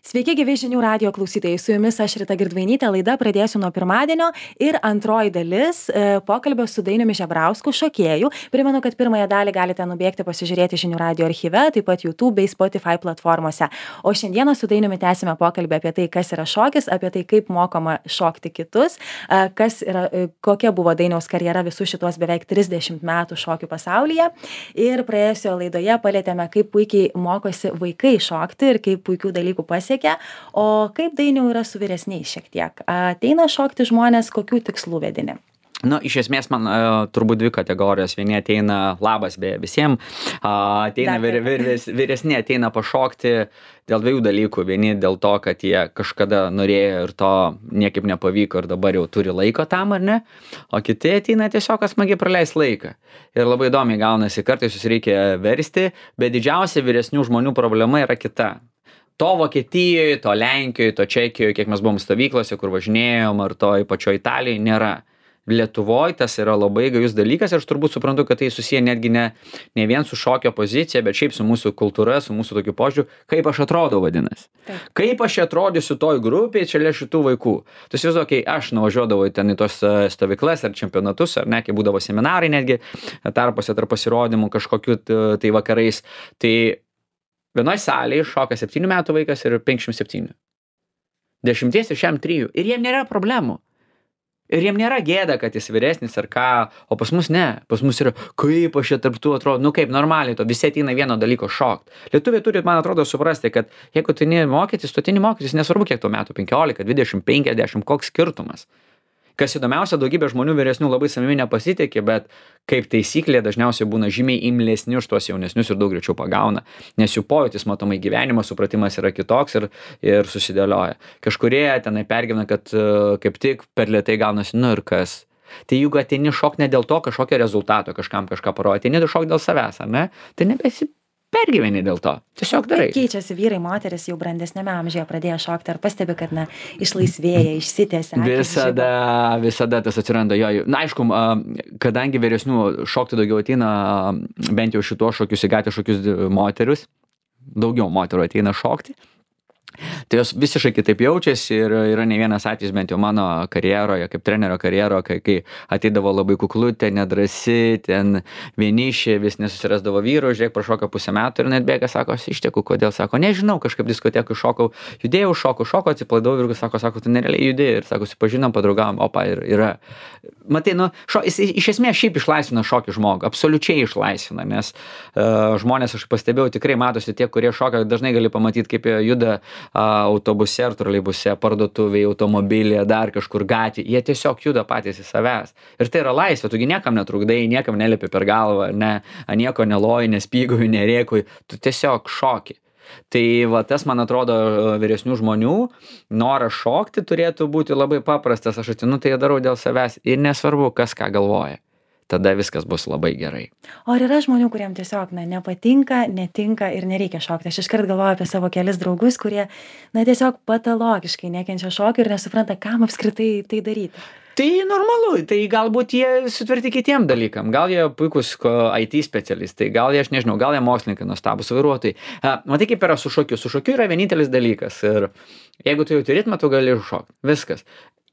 Sveiki, gyvi žinių radijo klausytojai. Su jumis aš Rita Girdvainytė. Laida pradėsiu nuo pirmadienio ir antroji dalis pokalbio su Dainiumi Žebrausku, šokėju. Primenu, kad pirmąją dalį galite nubėgti pasižiūrėti žinių radijo archyve, taip pat YouTube bei Spotify platformose. O šiandieną su Dainiumi tęsime pokalbį apie tai, kas yra šokis, apie tai, kaip mokoma šokti kitus, kokia buvo Dainiaus karjera visų šitos beveik 30 metų šokių pasaulyje. Ir praėjusioje laidoje palėtėme, kaip puikiai mokosi vaikai šokti ir kaip puikių dalykų pasiekia. O kaip Dainiau yra su vyresniais šiek tiek? Ateina šokti žmonės, kokių tikslų vedini? Iš esmės man turbūt dvi kategorijos. Vieni ateina labas visiems, ateina vyresni ateina pašokti dėl dviejų dalykų. Vieni dėl to, kad jie kažkada norėjo ir to niekaip nepavyko ir dabar jau turi laiko tam, ar ne? O kiti ateina tiesiog smagiai praleis laiką. Ir labai įdomiai gaunasi, kartais jūs reikia versti, bet didžiausia vyresnių žmonių problema yra kita. To Vokietijoje, to Lenkijoje, to Čekijoje, kiek mes buvom stovyklose, kur važinėjom, ar to pačioje Italijoje, nėra. Lietuvoje tas yra labai gajus dalykas ir aš turbūt suprantu, kad tai susiję netgi ne vien su šokio pozicija, bet šiaip su mūsų kultūra, su mūsų tokiu požiūriu, kaip aš atrodau vadinasi. Taip. Kaip aš atrodysiu toj grupėje čia šitų vaikų. Tu įsivaizduok, aš nuvažiuodavau ten į tos stovyklas ar čempionatus, ar ne, kai būdavo seminarai netgi, tarpuose tarp pasirodymų kažkokiu tai vakarais. Tai vienoj salėje šoka 7 metų vaikas ir 57. 10 ir šiam 3. Ir jiem nėra problemų. Ir jiem nėra gėda, kad jis vyresnis ar ką, o pas mus ne. Pas mus yra, kaip aš čia tarp tų atrodo, kaip normaliai to, visi ateina vieno dalyko šokt. Lietuviai turi, man atrodo, suprasti, kad jeigu tu ateini mokytis, nesvarbu kiek tų metų, 15, 20, 50, koks skirtumas. Kas įdomiausia, daugybė žmonių vyresnių labai savimi nepasitikė, bet kaip taisyklė dažniausiai būna žymiai imlesni už tuos jaunesnius ir daug greičiau pagauna, nes jų pojūtis matomai gyvenimo supratimas yra kitoks ir susidėlioja. Kažkurie tenai pergyvena, kad kaip tik per lėtai gaunasi, ir kas. Tai jeigu ateini šok ne dėl to kažkokio rezultato, kažkam kažką parodyti, ateini šok dėl savęs, ar ne? Tai nebesi pergyveni dėl to. Tiesiog darai. Keičiasi vyrai, moteris jau brandesnėme amžiuje pradėjo šokti. Ar pastebi, kad išlaisvėja, išsitęsia? Visada tas atsiranda. Aišku, kadangi vyresnių šokti daugiau ateina, bent jau šituos šokius, įgatę šokius moterius, daugiau moterų ateina šokti. Tai jos visiškai kitaip jaučiasi ir yra ne vienas atvejis bent jau mano karjeroje, kaip trenerio karjeroje, kai ateidavo labai kuklutė, nedrasi, ten vienišė, vis nesusirasdavo vyrų, žiūrėk, prašoka pusę metų ir net bėga, sako, aš išteku, kodėl, sako, nežinau, kažkaip diskotekui šokau, judėjau, šokau, atsiplaidau ir sako, tu nerealiai judėjai ir sako, pažinom, padraugavom, opa, ir yra. Matai, jis iš esmės šiaip išlaisvina šokį žmogų, absoliučiai išlaisvina, nes žmonės, aš pastebėjau, tikrai matosi tie, kurie šoka, dažnai gali pamatyti, kaip jie juda autobuse ar troleibuse, parduotuvėje, automobilyje, dar kažkur gatvėje, jie tiesiog juda patys į savęs. Ir tai yra laisvė, tugi niekam netrukdai, niekam nelipi per galvą, nieko neloji, nespygauji, nerėkui, tu tiesiog šoki. Tai tas, man atrodo, vyresnių žmonių noras šokti turėtų būti labai paprastas. Aš atinu, tai darau dėl savęs ir nesvarbu, kas ką galvoja. Tada viskas bus labai gerai. O ar yra žmonių, kuriem tiesiog nepatinka, netinka ir nereikia šokti? Aš iškart galvoju apie savo kelis draugus, kurie tiesiog patologiškai nekenčia šokio ir nesupranta, kam apskritai tai daryti. Tai normalu, tai galbūt jie sutverti kitiem dalykam, gal jie puikus IT specialistai, gal jie, aš nežinau, gal jie mokslininkai, nuostabūs vairuotojai. Matai, kaip yra su šokiu. Su šokiu yra vienintelis dalykas ir jeigu tu jauti ritmą, tu gali šokti. Viskas.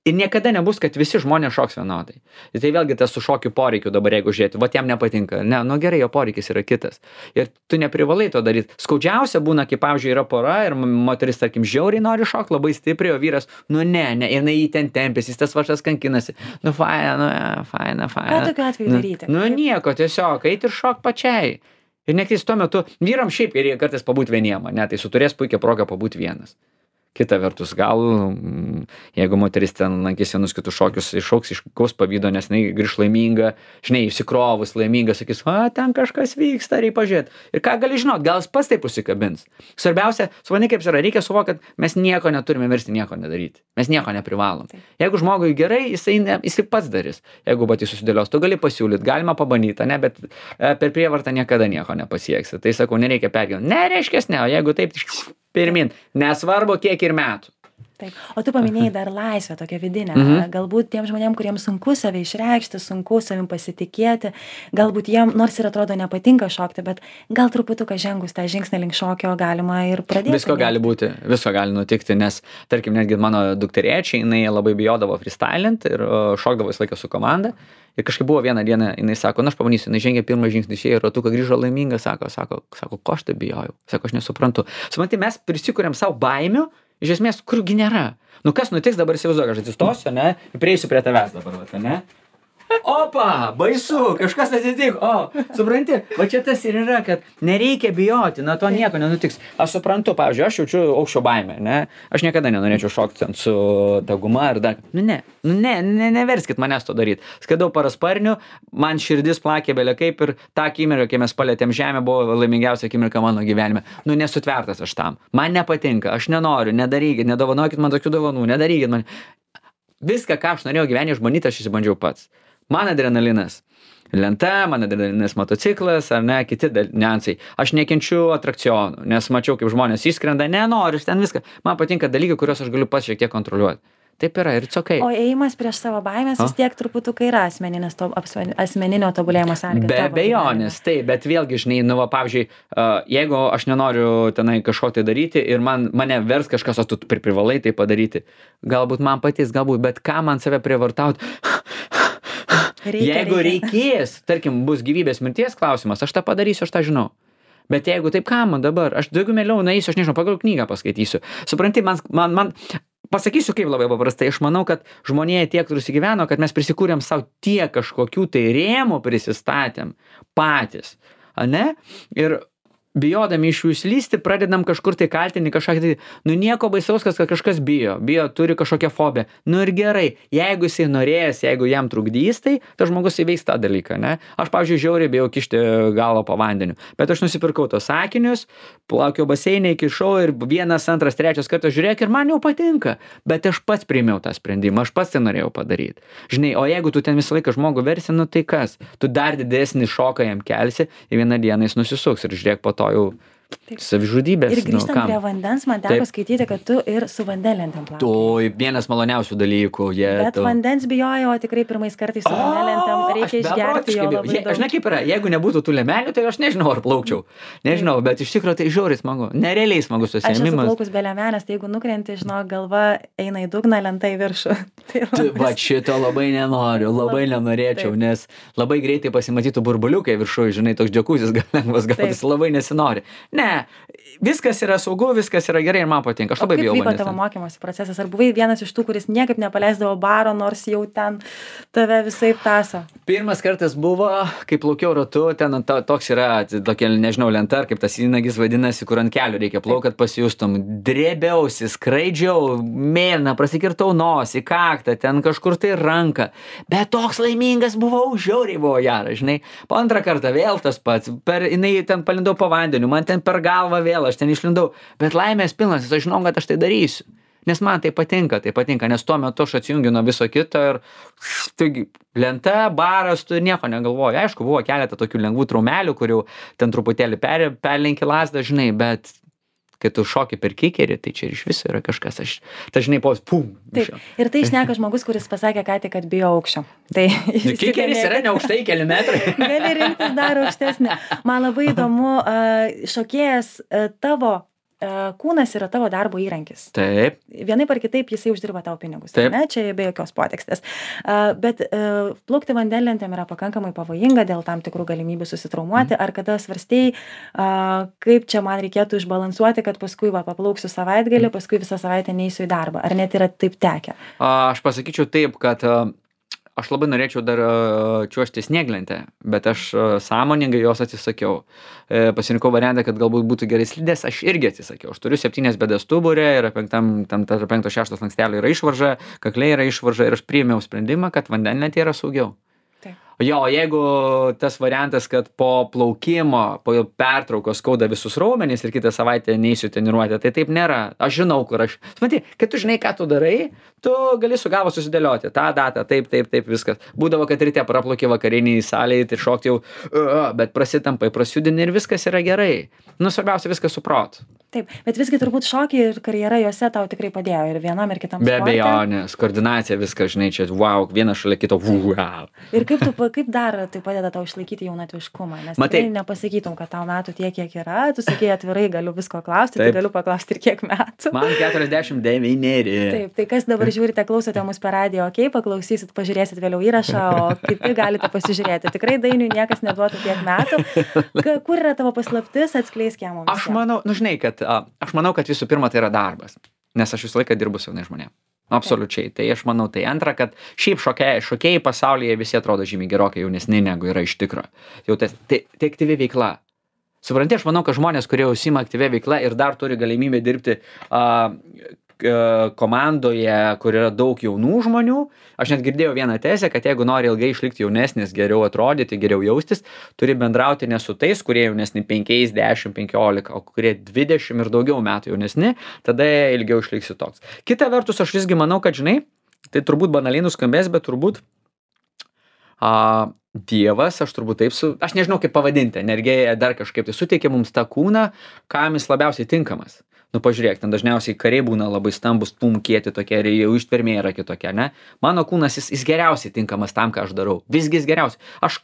Ir niekada nebus, kad visi žmonės šoks vienodai. Ir tai vėlgi tas su šokiu poreikiu dabar, jeigu žiūrėti, jam nepatinka. Gerai, jo poreikis yra kitas. Ir tu neprivalai to daryti. Skaudžiausia būna, kai, pavyzdžiui, yra pora ir moteris, tarkim, žiauriai nori šokti labai stipriai, o vyras, ne, ir jį ten tempėsi, jis tas vašas kankinasi. Faina. Ką tokiu atveju daryti? Nieko, tiesiog, eit ir šok pačiai. Ir nektais tuo metu, vyram šiaip ir kartais pabūt vieniem, tai su turės puikią progą pabūt vienas. Kita vertus, gal, jeigu moteris ten lankys vienus kitus šokius, iššauks iš kaus pavydo, nes jinai grįš laiminga, išsikrovus laiminga, sakys, ten kažkas vyksta, reikia pažiūrėti. Ir ką gali žinot, gal jis pats taip užsikabins. Svarbiausia, supranti, kaip yra, reikia suvokti, kad mes nieko neturime versti, nieko nedaryti. Mes nieko neprivalom. Jeigu žmogui gerai, jisai pats darys. Jeigu patys susidėlios, tu gali pasiūlyti, galima pabandyti, bet per prievartą niekada nieko nepasieksi. Tai sakau, nereikia pergyventi. Nereiškia, o jeigu taip, pirmin, nesvarbu kiek ir metų. Taip. O tu paminėjai dar laisvę tokią vidinę. Galbūt tiem žmonėm, kuriems sunku save išreikšti, sunku savim pasitikėti, galbūt jiem, nors ir atrodo nepatinka šokti, bet gal truputuką žengus tą žingsnį link šokio galima ir pradėti. Visko gali būti, visko gali nutikti, nes, tarkim, netgi mano dukterėčiai, jinai labai bijodavo freestylint ir šokdavo visą laiką su komanda. Ir kažkaip buvo vieną dieną, jinai sako, aš pabanysiu, jinai žengė pirmą žingsnį, išėjo ratuką, grįžo laiminga, sako, ko aš tai bijojau, sako, aš nesuprantu. Supranti, mes prisikuriam savo baimių, iš esmės, kurgi nėra. Nu kas nutiks, dabar įsivaizduoju, aš atsistosiu, ne, ir prieisiu prie tavęs dabar, ne. Opa, baisu, kažkas atsitiko, supranti, va čia tas ir yra, kad nereikia bijoti, na to nieko nenutiks. Aš suprantu, pavyzdžiui, aš jaučiu aukščio baimę, ne, aš niekada nenorėčiau šokti ten su daguma ar dar, neverskit manęs to daryti. Skridau parasparniu, man širdis plakė belė kaip ir tą akimirką, kai mes palėtėm žemę, buvo laimingiausia akimirka mano gyvenime. Nesutvertas aš tam, man nepatinka, aš nenoriu, nedarykit, nedovanokit man tokių dovanų, nedarykit man. Viską, ką aš norėjau gyvenime išbandyti, aš išsibandžiau pats. Man adrenalinas lenta, man adrenalinas motociklas, ar ne, kiti niuansai. Aš nekenčiu atrakcionų, nes mačiau, kaip žmonės išskrenda, nenoriu, ten viską. Man patinka dalykai, kuriuos aš galiu pats šiek tiek kontroliuoti. Taip yra ir it's okay. O ėjimas prieš savo baimės vis tiek truputukai yra asmeninio tobulėjimo sąlyga. Be abejonės, taip, bet vėlgi, žinai, pavyzdžiui, jeigu aš nenoriu tenai kažko tai daryti ir mane vers kažkas, o tu privalai tai padaryti, galbūt man patys, bet ką man save privartauti? Jeigu reikės, tarkim, bus gyvybės mirties klausimas, aš tą padarysiu, aš tą žinau. Bet jeigu taip, ką man dabar? Aš daugiau mieliau nueisiu, aš nežinau, pagal knygą paskaitysiu. Supranti, man pasakysiu kaip labai paprastai, aš manau, kad žmonėje tiek susigyveno, kad mes prisikūrėm savo tiek kažkokių tai rėmų prisistatėm patys, ne? Ir bijodami iš jų išlysti, pradedam kažkur tai kaltinti kažką tai, nieko baisaus, kad kažkas bijo, turi kažkokią fobiją. Ir gerai, jeigu jisai norės, jeigu jam trukdys, tai tas žmogus įveiks tą dalyką, ne? Aš, pavyzdžiui, žiauriai bijau kišti galvą po vandeniu, bet aš nusipirkau tos akinius, plaukiau baseinė, įkišau ir 1, 2, 3 kartą žiūrėk ir man jau patinka, bet aš pats priėmiau tą sprendimą, aš pats tai norėjau padaryti. Žinai, o jeigu tu ten visą laiką žmogų versi, tai kas? Tu dar didesnį šoką jam kelsi ir vieną dieną jis nusisuks ir žiūrėk po to jau savižudybės. Ir grįžtant prie vandens, man teko skaityti, kad tu ir su vandenlentėm plauki. Tu vienas maloniausių dalykų. Bet vandens bijojau, o tikrai pirmais kartais su vandenlentėm reikia išgerti jo labai daug. Aš ne kaip yra, jeigu nebūtų tų lemelių, tai aš nežinau, ar plaukčiau. Nežinau, bet iš tikrųjų tai žiauriai smagu. Nerealiai smagus užsiėmimas. Aš esu plaukus be lemenės, tai jeigu nukrenti, galva eina į dugną, lenta į viršų. Va šito labai nenoriu, labai nenorėčiau, nes labai greitai pasimatytų burbuliukai viršuje, žinai, toks džiakusis lengvas gautis, labai nesinori. Ne, viskas yra saugu, viskas yra gerai ir man patinka. Aš labai bijau vandens. Kaip vyko tavo mokymosi procesas? Ar buvai vienas iš tų, kuris niekaip nepaleisdavo baro, nors jau ten tave visaip tąso? Pirmas kartas buvo, kai plaukiau ratu, ten toks yra, tokia, nežinau, lenta, kaip tas įnagis vadinasi, kur ant kelių reikia plaukti, kad pasijustum. Drėbiausi, skraidžiau, mėlyna, prasikirtau nosį, kaktą, ten kažkur tai ranką. Bet toks laimingas buvau, žiauriai buvo geras, žinai. Po antrą kartą vėl tas pats, jinai ten palindau po vandeniu, man ten per galvą vėl, aš ten išlindau, bet laimės pilnas, aš žinau, kad aš tai darysiu, nes man tai patinka, nes tuo metu aš atsijungiu nuo viso kito ir taigi, lenta, baras, tu nieko negalvoji. Aišku, buvo keletą tokių lengvų traumelių, kurių ten truputėlį perlenki lazdą, žinai, bet kai tu šoki per kikerį, tai čia iš viso yra kažkas, žinai, pum. Taip, ir tai šneka žmogus, kuris pasakė ką tik, kad bijo aukščio. Tai kikeris yra ne aukštai, keli metrai. Gali rinktis dar aukštesnį. Man labai įdomu, šokėjas tavo kūnas yra tavo darbo įrankis. Taip. Vienaip ar kitaip jisai uždirba tavo pinigus. Taip. Ne? Čia be jokios potekstės. Bet plaukti vandenlentėm yra pakankamai pavojinga dėl tam tikrų galimybių susitraumuoti. Ar kada svarstei, kaip čia man reikėtų išbalansuoti, kad paskui paplauksiu savaitgalį, paskui visą savaitę neįsiu į darbą. Ar net yra taip tekę? Aš pasakyčiau taip, kad aš labai norėčiau dar čiuožti snieglentę, bet aš sąmoningai jos atsisakiau. Pasirinkau variantą, kad galbūt būtų gerai slidės, aš irgi atsisakiau. Aš turiu 7 bėdas stuburė ir 5-6 lankstelio yra išvarža, kakliai yra išvarža ir aš priėmiau sprendimą, kad vandenlentė yra saugiau. Taip. Jo, jeigu tas variantas, kad po plaukimo, po pertraukos skauda visus raumenis ir kitą savaitę neįsiu treniruotę, tai taip nėra. Aš žinau, kur aš. Matai, kai tu žinai, ką tu darai, tu gali su galva susidėlioti tą datą, taip, viskas. Būdavo, kad ryte praplauki vakariniai salėje, tai šokti jau, bet prasitampai, prasjudini ir viskas yra gerai. Nu, svarbiausia viskas suprot. Taip, bet visgi turbūt šokiai ir karjera juose tau tikrai padėjo ir vienam ir kitam Be sporte. abejonės, koordinacija, viskas, žinai, čia, wow, vienas šalia kito, wow. Ir kaip dar tai padeda tau išlaikyti jaunatviškumą? Nes Matai, tikrai nepasakytum, kad tau metų tiek, kiek yra. Tu sakei atvirai, galiu visko klausti, tai Taip. galiu paklausti ir kiek metų. Man 49. Taip, tai kas dabar žiūrite, klausote mus per radiją, okei, paklausysit, pažiūrėsit vėliau įrašą, o kiti galite pasižiūrėti. Tikrai Dainiui niekas neduotų tiek metų. Kur yra tavo paslaptis, atskleisk ją mums. Aš manau, nu žinai, aš manau, kad visų pirma tai yra darbas, nes aš visą laiką dirbu su jaunais žmonėmis. Absoliučiai. Tai aš manau, tai antra, kad šiaip šokėjai pasaulyje visi atrodo žymiai gerokai jaunesni negu yra iš tikro. Jau tai aktyvi veikla. Supranti, aš manau, kad žmonės, kurie užsiima aktyvia veikla ir dar turi galimybę dirbti komandoje, kur yra daug jaunų žmonių. Aš net girdėjau vieną tezę, kad jeigu nori ilgai išlikti jaunesnis, geriau atrodyti, geriau jaustis, turi bendrauti ne su tais, kurie jaunesni 5, 10, 15, o kurie 20 ir daugiau metų jaunesni, tada ilgiau išliksi toks. Kita vertus, aš visgi manau, kad žinai, tai turbūt banaliai nuskambės, bet turbūt Dievas, aš turbūt taip aš nežinau kaip pavadinti, energija dar kažkaip tai suteikia mums tą kūną, kam jis labiausiai tinkamas. Nu, pažiūrėk, ten dažniausiai kariai būna labai stambus, kieti tokie ir jau ištvermė yra kitokia, ne? Mano kūnas, jis geriausiai tinkamas tam, ką aš darau. Visgi jis geriausiai. Aš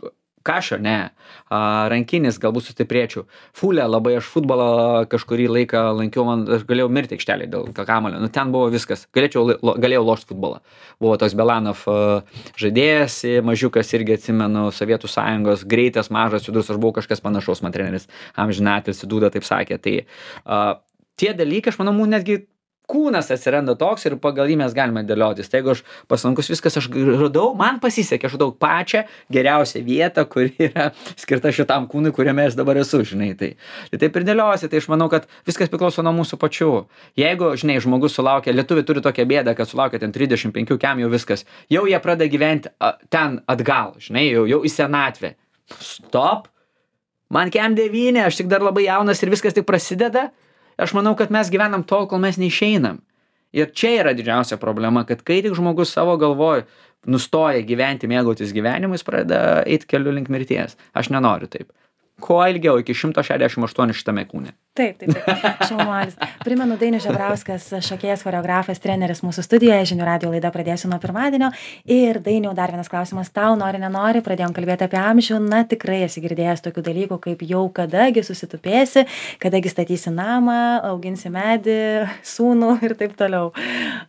kašio, ne. Rankinis, galbūt sustiprėčiau. Fulė, labai aš futbolą kažkurį laiką lankiau, aš galėjau mirti aikštelėje dėl kamuolio. Nu, ten buvo viskas. Galėjau lošti futbolą. Buvo toks Belanov žaidėjas, mažiukas irgi atsimenu, Sovietų Sąjungos, greitas, mažas, judrus, aš buvau kažkas panašaus, man treneris amžinatilsį Dūda taip sakė. Tai tie dalykai, aš manau, netgi kūnas atsiranda toks ir pagal jį mes galime dėliotis. Tai jeigu aš paslankus viskas, aš radau, man pasisekė, aš radau pačią geriausią vietą, kuri yra skirta šitam kūnui, kuriame aš dabar esu, žinai. Tai taip ir dėliosi, tai aš manau, kad viskas priklauso nuo mūsų pačių. Jeigu, žinai, žmogus sulaukia, lietuviai turi tokią bėdą, kad sulaukia ten 35 kem jau viskas, jau jie pradeda gyventi ten atgal, žinai, jau į senatvę. Stop! Man kem 9, aš tik dar labai jaunas ir viskas tik prasideda. Aš manau, kad mes gyvenam tol, kol mes neišeinam. Ir čia yra didžiausia problema, kad kai tik žmogus savo galvoj nustoja gyventi, mėgautis gyvenimu, jis pradeda eiti keliu link mirties. Aš nenoriu taip. Kuo ilgiau, iki 168 šitame kūne. Taip. Šaunuolis. Primenu, Dainius Žebrauskas, šokėjas, choreografas, treneris mūsų studijoje. Žinių radijo laida pradėsiu nuo pirmadienio. Ir Dainiau, dar vienas klausimas tau, nori, nenori, pradėjom kalbėti apie amžių. Na, tikrai esi girdėjęs tokių dalykų, kaip jau kadagi susitupėsi, kadagi statysi namą, auginsi medį, sūnų ir taip toliau.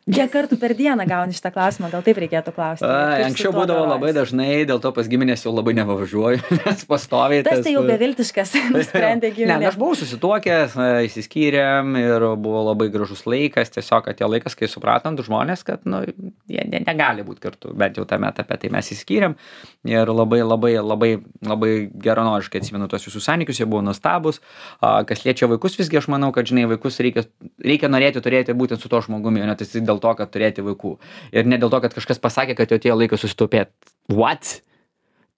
Kiek kartų per dieną gauni šitą klausimą, gal taip reikėtų klausti? Anksčiau būdavo labai dažnai, dėl to pas giminės jau labai nevažiuoju, nes pastoviai. Tas tai jau beviltiškas, nusprendė giminė. Ne, aš buvau susituokęs, išsiskyrėm ir buvo labai gražus laikas, tiesiog atėjo laikas, kai supratom du žmonės, kad jie negali būti kartu, bent jau tame etape, tai mes išsiskyrėm ir labai geranoriškai atsimenu tuos visus santykius, jie buvo nuostabus. Kas liečia vaikus, visgi aš manau, kad žinai, vaikus reikia norėti turėti būtent su to žmogumi, o ne tai dėl to, kad turėti vaikų. Ir ne dėl to, kad kažkas pasakė, kad jau atėjo laikas susitaupėti. What?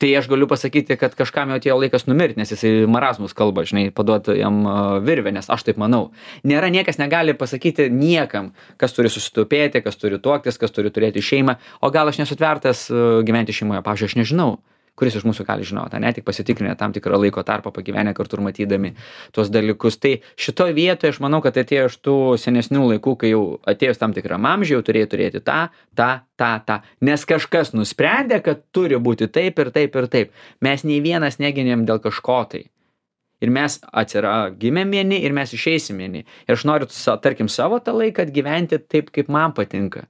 Tai aš galiu pasakyti, kad kažkam jau atėjo laikas numirti, nes jisai marazmus kalba, žinai, paduoti jam virvę, nes aš taip manau. Niekas negali pasakyti niekam, kas turi susitaupėti, kas turi tuoktis, kas turi turėti šeimą, o gal aš nesutvertas gyventi šeimoje, pavyzdžiui, aš nežinau. Kuris iš mūsų gali žinoti, ne, tik pasitikrinę tam tikrą laiko tarpą, pagyvenę kartu ir matydami tuos dalykus. Tai šitoj vietoje aš manau, kad atėjo iš tų senesnių laikų, kai jau atėjus tam tikram amžiui, jau turėjo turėti tą. Nes kažkas nusprendė, kad turi būti taip ir taip ir taip. Mes nei vienas negynėm dėl kažko tai. Ir mes gimėm vieni ir mes išeisim vieni. Ir aš noriu, tarkim, savo tą laiką gyventi taip, kaip man patinka.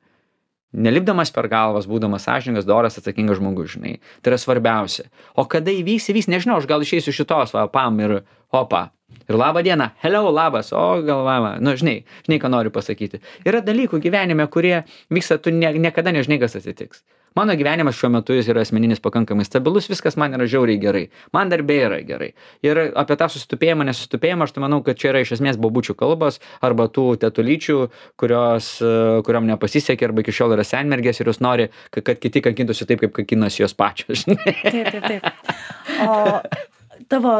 Nelipdamas per galvas, būdamas sąžiningas, doras, atsakingas žmogus, žinai. Tai yra svarbiausia. O kada įvyks, nežinau, aš gal išeisiu šitos, pam ir opa. Ir labą dieną, hello, labas, o galvama. Nu, žinai, ką noriu pasakyti. Yra dalykų gyvenime, kurie vyksta, tu niekada nežinai, kas atsitiks. Mano gyvenimas šiuo metu jis yra asmeninis pakankamai stabilus, viskas man yra žiauriai gerai. Man darbė yra gerai. Ir apie tą susitupėjimą, nesusitupėjimą, aš tai manau, kad čia yra iš esmės bobučių kalbos arba tų tetulyčių, kuriom nepasisekė arba iki šiol yra senmergės ir jos nori, kad kiti kankintųsi taip, kaip kankinosi jos pačios. Taip. O tavo,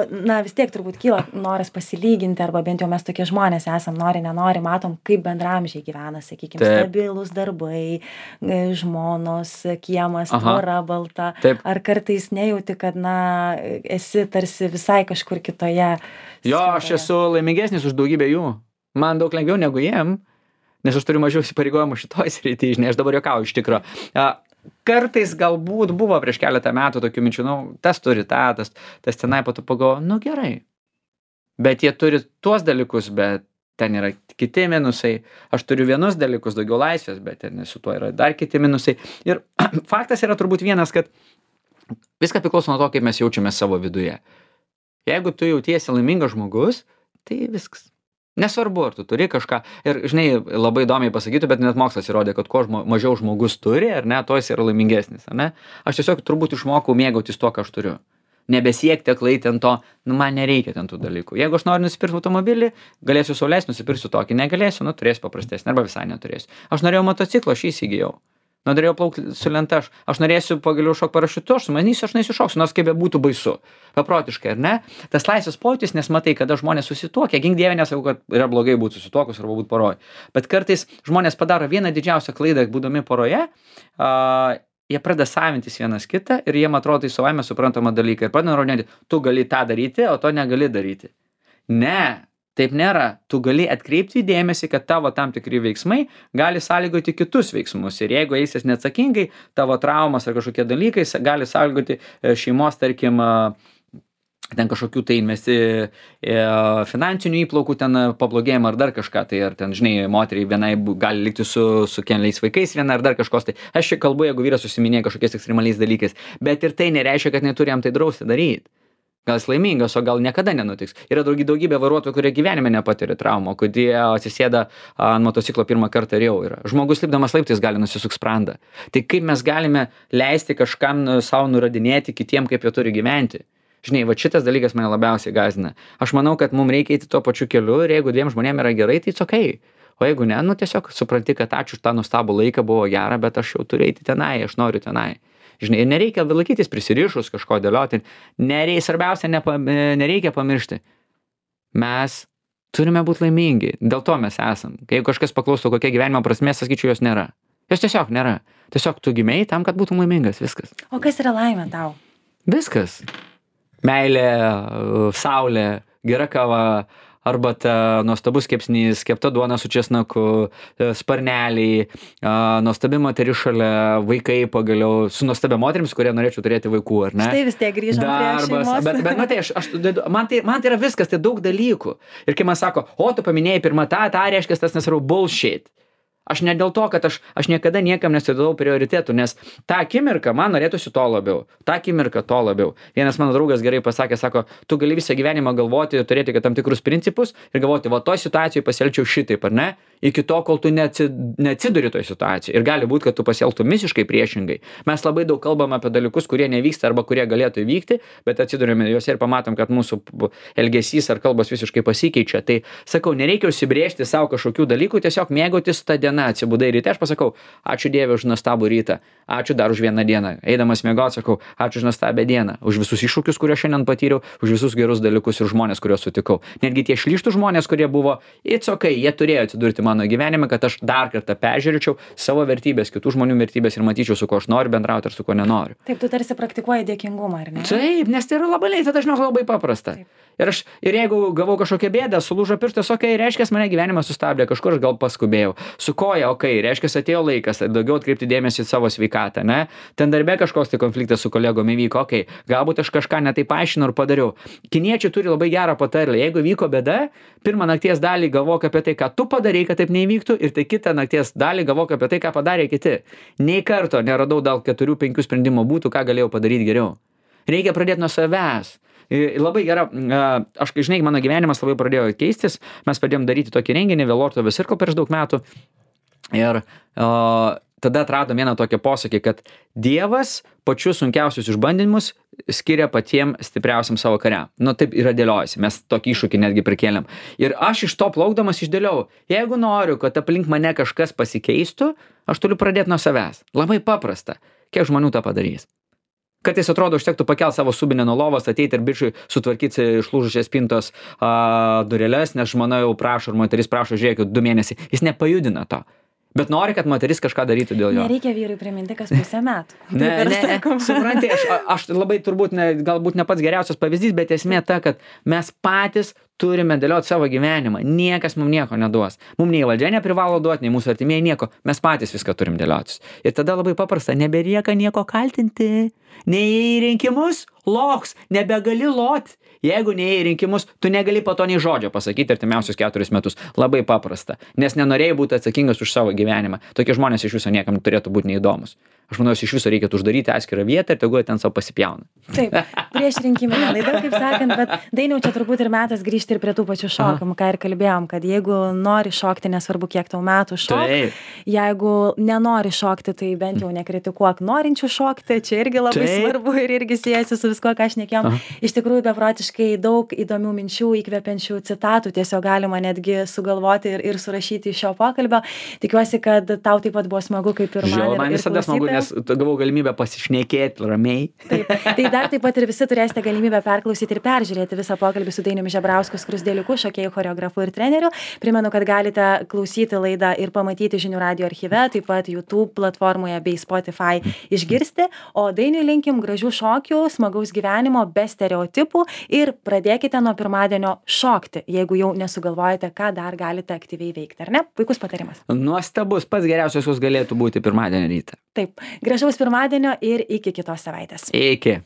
vis tiek turbūt kyla noras pasilyginti, arba bent jau mes tokie žmonės esam, nenori, matom, kaip bendraamžiai gyvena, sakykime, stabilus darbai, žmonos, kiemas, tvora balta. Taip. Ar kartais nejauti, kad, esi tarsi visai kažkur kitoje? Jo, aš esu laimingesnis už daugybę jų. Man daug lengviau negu jiem, nes aš turiu mažiau įsipareigojimų šitoj srity, žinai, aš dabar juokauju iš tikro. Kartais galbūt buvo prieš keletą metų tokių minčių, tas turi tas tenai po to pagalvoju, gerai. Bet jie turi tuos dalykus, bet ten yra kiti minusai. Aš turiu vienus dalykus, daugiau laisvės, bet ten su tuo yra dar kiti minusai. Ir faktas yra turbūt vienas, kad viskas priklauso nuo to, kaip mes jaučiame savo viduje. Jeigu tu jautiesi laimingas žmogus, tai viskas. Nesvarbu, ar tu turi kažką. Ir, žinai, labai įdomiai pasakytų, bet net mokslas įrodė, kad kuo mažiau žmogus turi, ar ne, to jis yra laimingesnis, ar ne? Aš tiesiog turbūt išmokau mėgautis to, ką aš turiu. Nebesiekti aklai ten to, man nereikia ten tų dalykų. Jeigu aš noriu nusipirkti automobilį, galėsiu sau leist, nusipirksiu tokį, negalėsiu, turėsiu paprastesnį, arba visai neturėsiu. Aš norėjau motociklą, aš jį įsigijau. Norėjau plaukti su lenta, aš norėsiu pagaliau šok parašiutu, aš neįsišoksiu, nors kaip būtų baisu. Paprotiškai, ar ne? Tas laisvės pojūtis, nes matai, kada žmonės susituokia, gink dieve, nesakau, kad yra blogai būti susituokus arba būti poroje. Bet kartais žmonės padaro vieną didžiausią klaidą, būdami poroje, jie pradeda savintis vienas kitą ir jiem atrodo tai savaime suprantama dalykai. Ir pradeda nurodinėti, tu gali tą daryti, o to negali daryti. Ne. Taip nėra. Tu gali atkreipti dėmesį, kad tavo tam tikri veiksmai gali sąlygoti kitus veiksmus. Ir jeigu eisies neatsakingai, tavo traumas ar kažkokie dalykai gali sąlygoti šeimos, tarkim, ten kažkokių tai finansinių įplaukų ten pablogėjimą ar dar kažką. Tai ar ten, žinai, moteriai vienai gali likti su keliais vaikais viena ar dar kažkos. Tai aš čia kalbu, jeigu vyras užsiminėja kažkokiais ekstremaliais dalykais. Bet ir tai nereiškia, kad neturi jam tai drausti daryti. Gal jis laimingas, o gal niekada nenutiks. Yra daugybė vairuotojų, kurie gyvenime nepatiria traumų, kurie atsisėda ant motociklo pirmą kartą ir jau yra. Žmogus lipdamas laiptais gali nusisukt sprandą. Tai kaip mes galime leisti kažkam savo nurodinėti kitiem, kaip jie turi gyventi? Žinai, va šitas dalykas mane labiausiai gąsdina. Aš manau, kad mums reikia eiti tuo pačiu keliu ir jeigu dviem žmonėm yra gerai, tai okay. O jeigu ne, tiesiog supranti, kad ačiū už tą nuostabų laiką, buvo gera, bet aš jau turiu eiti tenai, aš noriu tenai. Žinai, ir nereikia laikytis prisirišus kažko dėlioti. Svarbiausia, nereikia pamiršti. Mes turime būti laimingi. Dėl to mes esam. Kai kažkas paklaustų, kokia gyvenimo prasmė, sakyčiau, jos nėra. Jos tiesiog nėra. Tiesiog tu gimei tam, kad būtum laimingas. Viskas. O kas yra laimė tau? Viskas. Meilė, saulė, gera kava, arbata, nuostabus kepsnys, kepta duona su česnaku, sparneliai, nuostabi moteris šalia, vaikai pagaliau, su nuostabia moterims, kurie norėčiau turėti vaikų, ar ne? Štai vis tiek grįžom prie šeimos. Bet matai, man tai yra viskas, tai daug dalykų. Ir kai man sako, tu paminėjai pirmą tą reiškia, tas nesvarbu bullshit. Aš ne dėl to, kad aš niekada niekam nesidavau prioritetų, nes tą akimirką man norėtųsi to labiau, tą akimirką to labiau. Vienas mano draugas gerai pasakė, sako, tu gali visą gyvenimą galvoti, turėti tam tikrus principus ir galvoti, va toj situacijoje pasielgčiau šitaip, ar ne, iki to, kol tu neatsiduri toj situacijoje. Ir gali būti, kad tu pasielgtum visiškai priešingai. Mes labai daug kalbam apie dalykus, kurie nevyksta arba kurie galėtų įvykti, bet atsidurime juose ir pamatom, kad mūsų elgesys ar kalbos visiškai pasikeičia. Tai sakau, nereikia užsibrėžti savo kažkokių dalykų, tiesiog mėgautis tą dieną. Atsibudai ryte, aš pasakau, ačiū Dieve už nuostabų rytą, ačiū dar už vieną dieną. Eidamas miegoti, sakau, ačiū už nuostabią dieną, už visus iššūkius, kuriuos šiandien patyriau, už visus gerus dalykus ir žmonės, kuriuos sutikau. Netgi tie šlyštų žmonės, kurie buvo, it's okay, jie turėjo atsidurti mano gyvenime, kad aš dar kartą peržiūrėčiau savo vertybės, kitų žmonių vertybės ir matyčiau, su kuo aš noriu bendrauti ir su kuo nenoriu. Taip, tu tarsi praktikuoji dėkingumą, ar ne? Taip, nes tai yra labai dažniausiai labai paprasta. Ir jeigu gavau kažkokią bėdą, sulūžo pirštas, okay, reiškia, mane gyvenimas sustabdė, kažkur aš gal paskubėjau. Su koja, okay, reiškia, atėjo laikas daugiau atkreipti dėmesį į savo sveikatą, ne? Ten darbe kažkoks tai konfliktas su kolegom įvyko, okay, galbūt aš kažką netai paaiškinau ir padariau. Kiniečiai turi labai gerą patarlę. Jeigu vyko bėda, pirmą nakties dalį galvok apie tai, ką tu padarei, kad taip neįvyktų, ir tai kitą nakties dalį galvok apie tai, ką padarė kiti. Nei karto neradau dėl 4-5 sprendimo būtų, ką galėjau padaryti geriau. Reikia pradėti nuo savęs. Labai gera, aš, žinai, mano gyvenimas labai pradėjo keistis, mes pradėjom daryti tokį renginį, Vėlorto Circle prieš daug metų ir tada atradom vieną tokią posakį, kad Dievas pačius sunkiausius išbandymus skiria patiem stipriausiam savo kariam. Nu, taip yra dėliojasi, mes tokį iššūkį netgi prikėlėm. Ir aš iš to plaukdamas išdėliau, jeigu noriu, kad aplink mane kažkas pasikeistų, aš turiu pradėti nuo savęs. Labai paprasta. Kiek žmonių tą padarys? Kartais atrodo, užtektų pakelt savo subinę nuo lovos, ateiti ir bičiui sutvarkyti išlūžusias spintos dureles, nes žmona jau prašo, ir moteris prašo, žiūrėkit, 2 mėnesiai. Jis nepajudina to. Bet nori, kad moteris kažką darytų dėl jo. Nereikia vyrui priminti, kas pusę metų. Supranti, aš labai turbūt galbūt ne pats geriausias pavyzdys, bet esmė ta, kad mes patys turime dėlioti savo gyvenimą. Niekas mums nieko neduos. Mums nei valdžia neprivalo duoti, nei mūsų artimieji nieko. Mes patys viską turim dėliotis. Ir tada labai paprasta, nebelieka nieko kaltinti. Nei į rinkimus, loks, nebegali lot. Jeigu neėjai į rinkimus, tu negali po to nei žodžio pasakyti artimiausius 4 metus. Labai paprasta. Nes nenorėjai būti atsakingas už savo gyvenimą. Tokie žmonės iš viso niekam turėtų būti neįdomus. Aš manau, iš viso reikėtų uždaryti atskirą vietą ir tegu ten savo pasipjauna. Taip, prieš rinkiminę laidą, kaip sakant, bet Dainiau, čia turbūt ir metas grįžti ir prie tų pačių šokimų, ką ir kalbėjom, kad jeigu nori šokti, nesvarbu kiek tau metų šok, jeigu nenori šokti, tai bent jau nekritikuok norinčių šokti, čia irgi labai svarbu ir irgi siejasi su visko, ką šnekėjom. Iš tikrųjų, beprotiškai daug įdomių minčių, įkvepiančių citatų tiesiog galima netgi sugalvoti ir surašyti iš šio pokalbio. Tikiuosi, kad tau taip pat buvo smagu kaip ir man. Man visada smagu, nes gavau galimybę pasišnekėti ramiai. Taip, tai dar taip pat ir visi turėsite galimybę perklausyti ir peržiūrėti visą pokalbį su Dainiumi Žebrausku, Skruzdėliuku, šokėjų, choreografu ir treneriu. Primenu, kad galite klausyti laidą ir pamatyti Žinių radijo archyve, taip pat YouTube platformoje bei Spotify išgirsti. O Dainiui linkim gražių šokių, smagaus gyvenimo, be stereotipų ir pradėkite nuo pirmadienio šokti, jeigu jau nesugalvojate, ką dar galite aktyviai veikti, ar ne? Puikus patarimas. Nuostabus, pats geriausias, kas galėtų būti pirmadienio rytą. Taip, gražaus pirmadienio ir iki kitos savaitės. Iki.